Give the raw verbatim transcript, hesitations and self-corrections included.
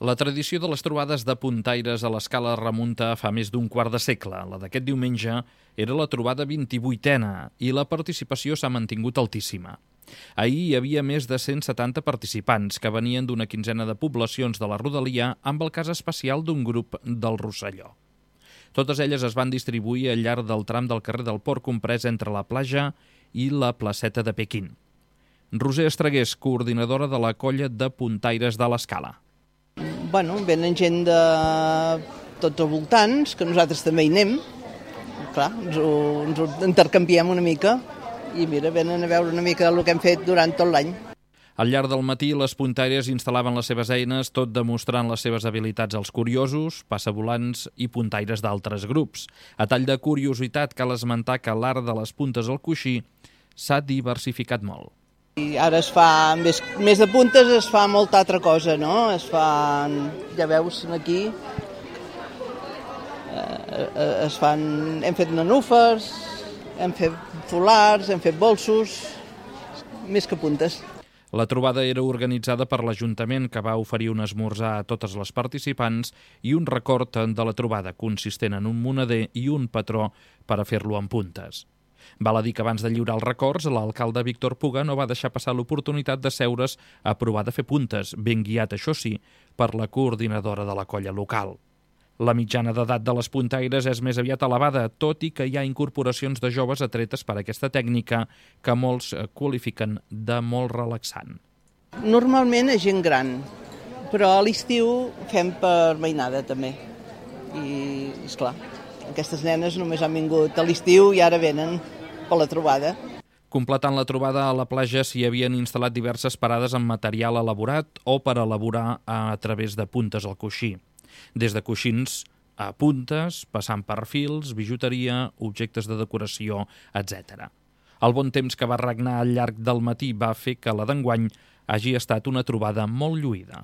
La tradició de les trobades de puntaires a l'Escala remunta a fa més d'un quart de segle. La d'aquest diumenge era la trobada vint-i-vuitena i la participació s'ha mantingut altíssima. Ahir hi havia més de cent setanta participants que venien d'una quinzena de poblacions de la rodalia amb el cas especial d'un grup del Rosselló. Totes elles es van distribuir al llarg del tram del carrer del Port comprès entre la platja i la placeta de Pequín. Roser Estregués, coordinadora de la colla de puntaires de l'Escala. Bueno, venen gent de tots els voltants, que nosaltres també hi anem. Clar, ens ho, ens ho intercanviem una mica i mira, venen a veure una mica del que hem fet durant tot l'any. Al llarg del matí, les puntaires instal·laven les seves eines, tot demostrant les seves habilitats als curiosos, passavolants i puntaires d'altres grups. A tall de curiositat, cal esmentar que l'art de les puntes al coixí s'ha diversificat molt. I ara es fa, més, més de puntes, es fa molta altra cosa, no? Es fan, ja veus aquí, eh, es fan, hem fet nanúfers, hem fet folars, hem fet bolsos, més que puntes. La trobada era organitzada per l'Ajuntament, que va oferir un esmorzar a totes les participants i un record de la trobada, consistent en un moneder i un patró per a fer-lo en puntes. Val a dir que abans de lliurar els records, l'alcalde Víctor Puga no va deixar passar l'oportunitat de seure's a provar de fer puntes, ben guiat, això sí, per la coordinadora de la colla local. La mitjana d'edat de les puntaires és més aviat elevada, tot i que hi ha incorporacions de joves atretes per aquesta tècnica que molts qualifiquen de molt relaxant. Normalment és gent gran, però a l'estiu fem per mainada també. I, esclar, aquestes nenes només han vingut a l'estiu i ara venen per la trobada. Completant la trobada a la platja s'hi havien instal·lat diverses parades amb material elaborat o per elaborar a través de puntes al coixí. Des de coixins a puntes, passant per fils, bijuteria, objectes de decoració, etcètera. El bon temps que va regnar al llarg del matí va fer que la d'enguany hagi estat una trobada molt lluïda.